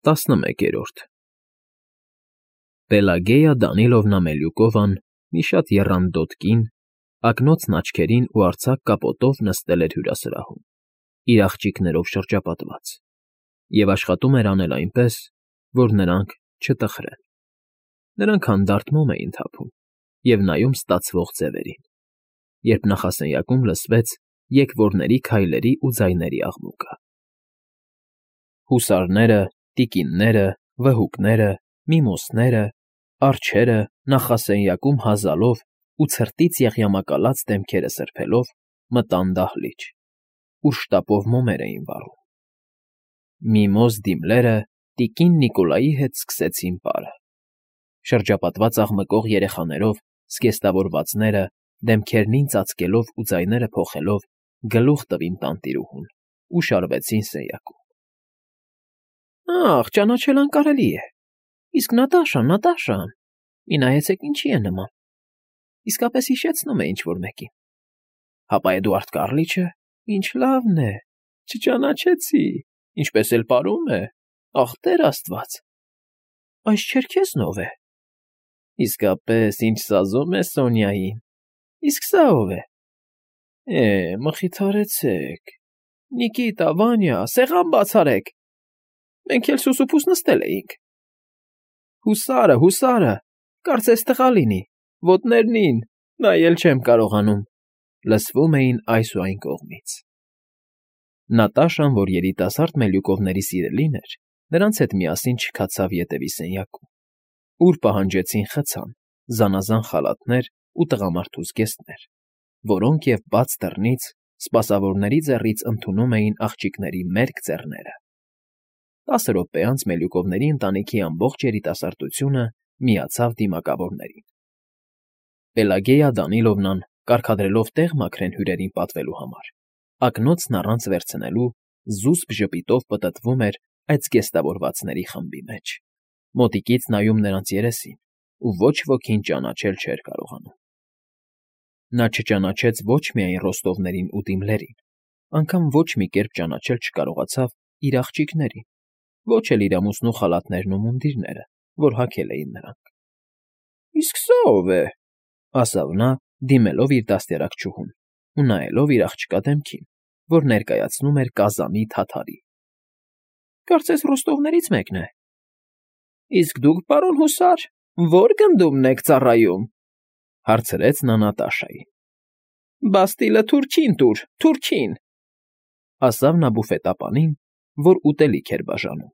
11 Պելագեյա Դանիլովնա Մելյուկովան մի շատ եռանդոտ կին, ակնոցն աչքերին ու արձակ կապոտով նստել էր հյուրասրահում, իր աղջիկներով շրջապատված, և աշխատում էր անել այնպես, որ նրանք չտխրեն. նրանք հանդարտ մոմ էին թափում և նայում ստացվող ձևերին, երբ նախասենյակում լսվեց եկվորների քայլերի ու ձայների աղմուկը. հուսարները, տիկինները, վհուկները, միմոսները, արջերը նախասենյակում հազալով ու ցրտից եղյամակալած դեմքերը սրբելով մտան դահլիճ, ուր շտապով մոմեր էին վառում. Միմոզ դիմլերը տիկին Նիկոլայի հետ սկսեցին պարը. շրջապատված աղմկող երեխաներով զգեստավորվածները դեմքերնին ծածկելով ու ձայները փոխելով գլուխ տվին տանտիրուհուն ու շարվեցին սենյակում. Ախ, ճանաչել անկարելի է, իսկ Նատաշան, մի նայեցեք ինչի է նման, իսկապես հիշեցնում է ինչ֊որ մեկին, հապա Էդուարդ Կառլիչը, ինչ լավն է, չճանաչեցի, ինչպես էլ պարում է, ախ, Տեր Աստված, այս չերքեզն ով է, իսկապես ինչ սազում է Սոնյային, իսկ սա ով է, մխիթարեցեք, Նիկիտա, Վանյա, սեղան բաց արեք, մենք էլ սուսուփուս նստել էինք, հուսարը, կարծես տղա լինի, ոտներնին, նայել չեմ կարողանում, լսվում էին այս ու այն կողմից. Նատաշան, որ երիտասարդ Մելյուկովների սիրելին էր, նրանց հետ միասին չքացավ ետևի սենյակում, ուր պահանջեցին խցան, զանազան խալաթներ ու տղամարդու զգեստներ, որոնք և բաց դռնից սպասավորների ձեռից ընդունում էին աղջիկների մերկ ձեռները. 10 րոպե անց Մելյուկովների ընտանիքի ամբողջ երիտասարդությունը միացավ դիմակավորներին. Պելագեյա Դանիլովնան, կարգադրելով տեղ մաքրեն հյուրերին պատվելու համար, ակնոցն առանց վերցնելու զուսպ ժպիտով պտտվում էր այդ զգեստավորվածների խմբի մեջ, մոտիկից նայում նրանց երեսին ու ոչ ոքին ճանաչել չէր կարողանում. նա չճանաչեց ոչ միայն Ռոստովներին ու Դիմլերին, անգամ ոչ մի կերպ ճանաչել չկարողացավ իր աղջիկներին, ոչ էլ իր ամուսնու խալաթներն ու մունդիրները, որ հագել էին նրանք. Իսկ սա ով է, ասավ նա, դիմելով իր դաստիարակչուհուն ու նայելով իր աղջկա դեմքին, որ ներկայացնում էր կազանի թաթարի. Կարծես Ռոստովներից մեկն է, իսկ դուք, պարոն հուսար, ո՞ր գնդումն եք ծառայում, հարցրեց նա Նատաշային. Բաստիլը թուրքին տուր, թուրքին, ասավ նա բուֆետապանին, որ ուտելիք էր բաժանում.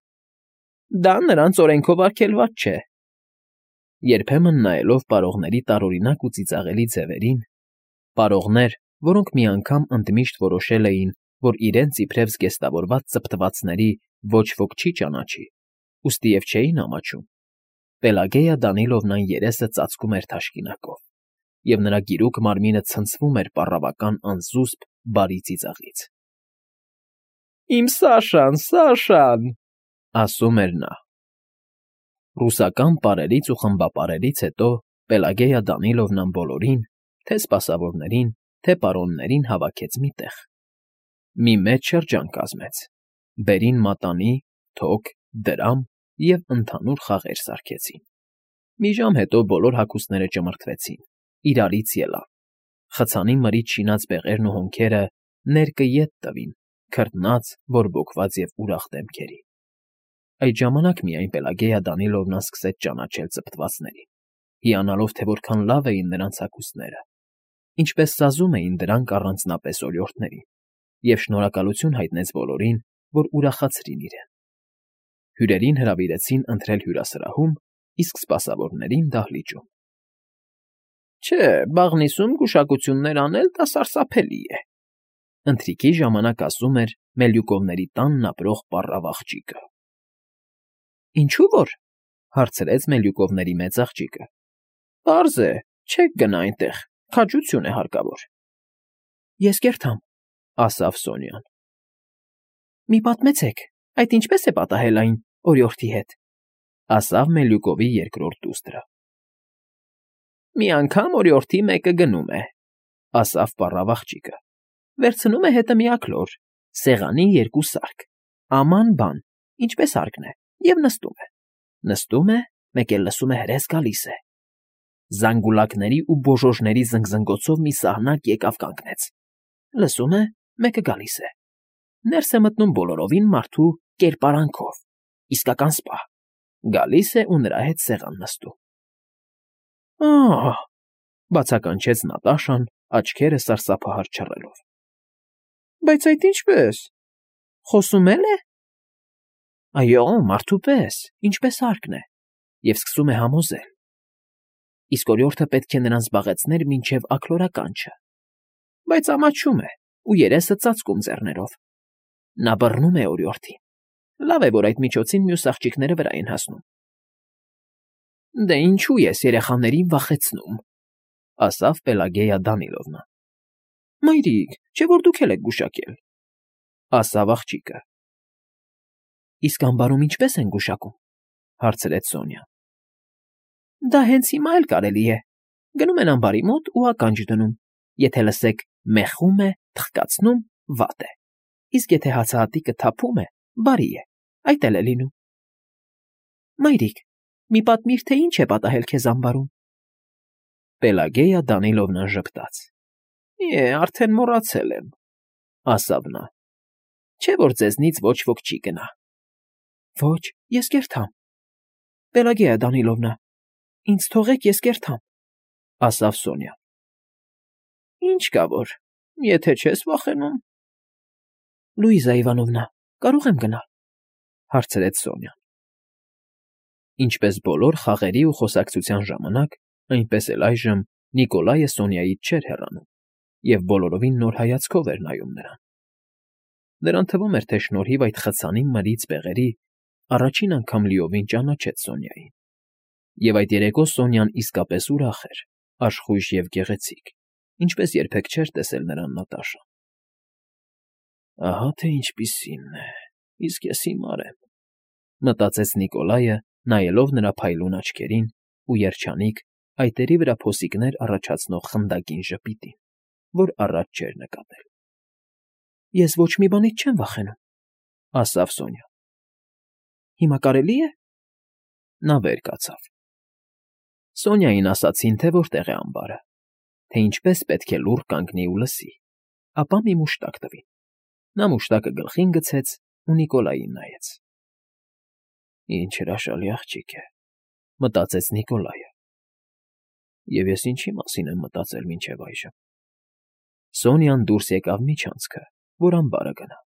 Դա նրանց օրենքով արգելված չէ. Երբեմն նայելով պարողների տարօրինակ ու ծիծաղելի ձևերին, պարողներ, որոնք մի անգամ ընդմիշտ որոշել էին, որ իրենց իբրև զգեստավորված ծպտվածների ոչ ոք չի ճանաչի, ուստիև չէին ամաչում, Պելագեյա Դանիլովնան երեսը ծածկում էր թաշկինակով, և նրա գիրուկ մարմինը ցնցվում էր պառավական անզուսպ բարի ծիծաղից. Իմ Սաշան, ասում էր նա. Ռուսական պարերից ու խմբապարերից հետո Պելագեյա Դանիլովնան բոլորին, թե սպասավորներին, թե պարոններին հավաքեց մի տեղ, մի մեծ շրջան կազմեց, բերին մատանի, թոք, դրամ և ընդհանուր խաղեր սարքեցին. մի ժամ հետո բոլոր հագուստները ճմրթվեցին, իրարից ելան, խցանի մրից շինած բեղերն ու հոնքերը ներկը ետ տվին քրտնած, բորբոքված և ուրախ դեմքերի. Այդ ժամանակ միայն Պելագեյա Դանիլովնան սկսեց ճանաչել ծպտվածներին, հիանալով, թե որքան լավ էին նրանց հագուստները, ինչպես սազում էին դրանք առանձնապես օրիորդներին, և շնորհակալություն հայտնեց բոլորին, որ ուրախացրին իրեն. հյուրերին հրավիրեցին ընթրել հյուրասրահում, իսկ սպասավորներին դահլիճում. Չէ, բաղնիսում գուշակություններ անել դա սարսափելի է, ընթրիքի ժամանակ ասում էր Մելյուկովների տանն ապրող պառավ աղջիկը. Ինչու որ, հարցրեց Մելյուկովների մեծ աղջիկը. Պարզ է, չեք գնա այնտեղ, քաջություն է հարկավոր. Ես կերթամ, ասավ Սոնյան. Մի պատմեցեք, այդ ինչպես է պատահել այն օրիորդի հետ, ասավ Մելյուկովի երկրորդ դուստրը. Մի անգամ օրիորդի մեկը գնում է, ասավ պառավ աղջիկը, վերցնում է հետը մի աքլոր, սեղանի երկու սարք, աման բան, ինչպես հարկն է, Եվ նստում է, մեկ էլ լսում է հրես գալիս է։ Զանգուլակների ու բոժոժների զնգզնգոցով մի սահնակ եկավ կանգնեց։ Լսում է, մեկը գալիս է։ Ներս է մտնում բոլորովին մարդու կերպարանքով, իսկական սպա։ Գալիս է ու նրա հետ սեղան նստում։ «Ահ», բացականչեց Նատաշան, աչքերը սարսափահար չռելով։ «Բայց այդ ինչպե՞ս, խոսում է՞լ է»։ Այո, մարդու պես, ինչպես հարկն է, և սկսում է համոզել։ Իսկ օրիորդը պետք է նրան զբաղեցներ մինչև աքլորականջը, բայց ամաչում է ու երեսը ծածկում ձեռներով։ Նա բռնում է օրիորդին։ Լավ է, որ այդ միջոցին մյուս աղջիկները վրա են հասնում։ «Դե ինչու ես երեխաներին վախեցնում», ասավ Պելագեյա Դանիլովնա։ «Մայրիկ, չէ՞ որ դուք էլ եք գուշակել», ասավ աղջիկը։ «Իսկ ամբարում ինչպե՞ս են գուշակում», հարցրեց Սոնյան։ «Դա հենց հիմա էլ կարելի է։ Գնում են ամբարի մոտ ու ականջ դնում։ Եթե լսեք մեղում է, թխկացնում, վատ է։ Իսկ եթե հացահատիկը թափում է, բարի է, այդ էլ է լինում»։ «Մայրիկ, մի պատմիր, թե ինչ է պատահել քեզ ամբարում»։ Պելագեյա Դանիլովնան ժպտաց։ Արդեն մոռացել եմ, ասավ նա։ Չէ՞ որ ձեզնից ոչ ոք չի գնա։ Ոչ, ես կերթամ։ Պելագեյա Դանիլովնա, ինձ թողեք, ես կերթամ, ասավ Սոնյան։ Ինչ կա որ, եթե չես վախենում։ Լուիզա Իվանովնա, կարող եմ գնալ, հարցրեց Սոնյան։ Ինչպես բոլոր խաղերի ու խոսակցության ժամանակ, այնպես էլ այժմ Նիկոլայը Սոնյայից չէր հեռանում և բոլորովին նոր հայացքով էր նայում նրան։ Նրան թվում էր, թե շնորհիվ այդ խցանի մրից բեղերի առաջին անգամ լիովին ճանաչեց Սոնյային։ Եվ այդ երեկո Սոնյան իսկապես ուրախ էր, աշխույժ և գեղեցիկ, ինչպես երբեք չէր տեսել նրան Նատաշան։ Ահա թե ինչպիսինն է, իսկ ես հիմար եմ, մտածեց Նիկոլայը, նայելով նրա փայլուն աչքերին ու երջանիկ, այտերի վրա փոսիկներ առաջացնող խնդակին ժպիտին, որ առաջ չէր նկատել։ Ես ոչ մի բանից չեմ վախենում, ասավ Սոնյան։ Հիմա կարելի է։ Նա վեր կացավ։ Սոնյային ասացին, թե որտեղ է ամբարը, թե ինչպես պետք է լուռ կանգնի ու լսի, ապա մի մուշտակ տվին։ Նա մուշտակը գլխին գցեց ու Նիկոլային նայեց։ Ինչ հրաշալի աղջիկ է, մտածեց Նիկոլայը։ Եվ ես ինչի մասին եմ մտածել մինչև այժմ։ Սոնյան դուրս եկավ միջանցքը, որ ամբարը գնա։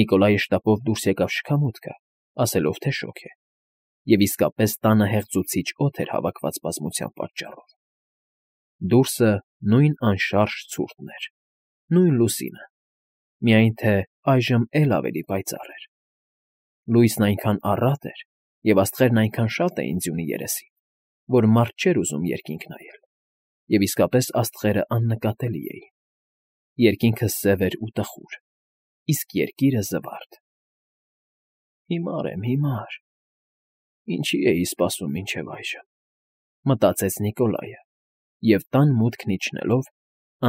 Նիկոլայը շտապով դուրս եկավ շքամուտքը, ասելով, թե շոգ է, և իսկապես տանը հեղձուցիչ օդ էր հավաքված բազմության պատճառով։ Դուրսը նույն անշարժ ցուրտն էր, նույն լուսինը, միայն թե այժմ էլ ավելի պայծառ էր։ Լույսն այնքան առատ էր, և աստղերն այնքան շատ էին ձյունի երեսին, որ մարդ չէր ուզում երկինք նայել, և իսկապես աստղերը աննկատելի էին։ Երկինքը սև էր ու տխուր, իսկ երկիրը զվարթ։ Հիմար եմ, հիմար։ Ինչի էի սպասում մինչև այժմ, մտածեց Նիկոլայը, և տան մուտքն իջնելով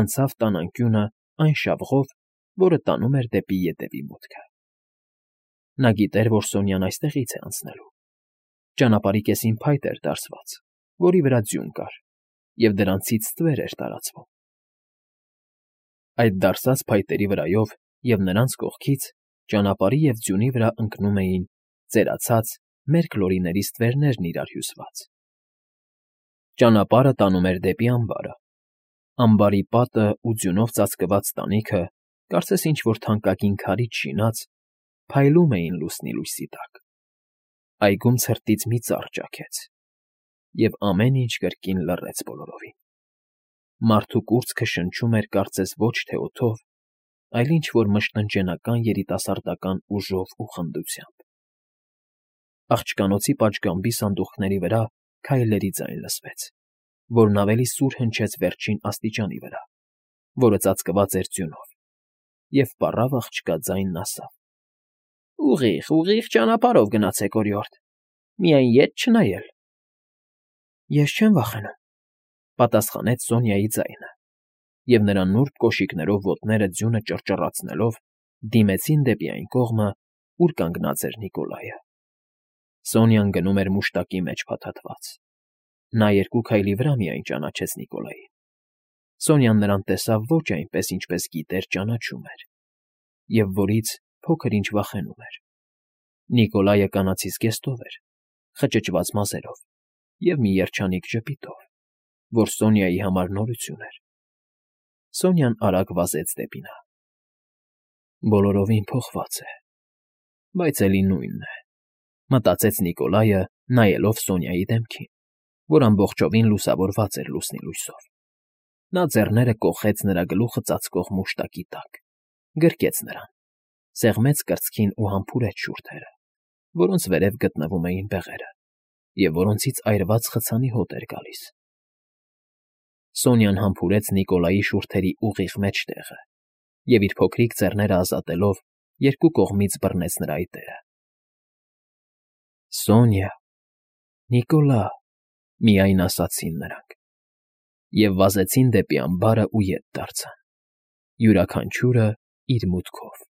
անցավ տան անկյունը այն շավղով, որը տանում էր դեպի ետևի մուտքը։ Նա գիտեր, որ Սոնյան այստեղից է անցնելու։ Ճանապարհի կեսին փայտ էր դարսված, որի վրա ձյուն կար, և դրանցից ստվեր էր տարածվում։ Այդ դարսած փայտերի վրայով և նրանց կողքից ճանապարհի և ձյունի վրա ընկնում էին ծերացած մերկ լորիների ստվերներն իրար հյուսված։ Ճանապարհը տանում էր դեպի ամբարը։ Ամբարի պատը ու ձյունով ծածկված տանիքը, կարծես ինչ֊որ թանկագին քարից շինած, փայլում էին լուսնի լույսի տակ։ Այգում ցրտից մի ծառ ճաքեց, և ամեն ինչ կրկին լռեց բոլորովին։ Մարդու կուրծքը շնչում էր կարծես ոչ թե օդով, այլ ինչ֊որ մշտնջենական երիտասարդական ուժով ու խնդությամբ։ Աղջկանոցի պատշգամբի սանդուղքների վրա քայլերի ձայն լսվեց, որն ավելի սուր հնչեց վերջին աստիճանի վրա, որը ծածկված էր ձյունով, և պառավ աղջկա ձայնն ասավ. Ուղիղ ճանապարհով գնացեք, օրիորդ, միայն ետ չնայել։ Ես չեմ վախենում, պատասխանեց Սոնյայի ձայնը, և նրա նուրբ կոշիկներով ոտները ձյունը ճռճռացնելով դիմեցին դեպի այն կողմը, ուր կանգնած էր Նիկոլայը։ Սոնյան գնում էր մուշտակի մեջ փաթաթված։ Նա 2 քայլի վրա միայն ճանաչեց Նիկոլային։ Սոնյան նրան տեսավ ոչ այնպես, ինչպես գիտեր ճանաչում էր, և որից փոքր-ինչ վախենում էր։ Նիկոլայը կանացի զգեստով էր, խճճված մազերով և մի երջանիկ ժպիտով, որ Սոնյայի համար նորություն էր։ Սոնյան արագ վազեց դեպի նա։ Բոլորովին փոխված է, բայց էլի նույնն է, մտածեց Նիկոլայը, նայելով Սոնյայի դեմքին, որ ամբողջովին լուսավորված էր լուսնի լույսով։ Նա ձեռները կոխեց նրա գլուխը ծածկող մուշտակի տակ, գրկեց նրան, սեղմեց կրծքին ու համբուրեց շուրթերը, որոնց վերև գտնվում էին բեղերը, և որոնցից այրված խցանի հոտ էր գալիս։ Սոնյան համբուրեց Նիկոլայի շուրթերի ուղիղ մեջտեղը և իր փոքրիկ ձեռները ազատելով 2 կողմից բռնեց նրա այտերը։ «Սոնյա, Նիկոլա», միայն ասացին նրանք, և վազեցին դեպի ամբարը ու ետ դարձան, յուրաքանչյուրը իր մուտքով։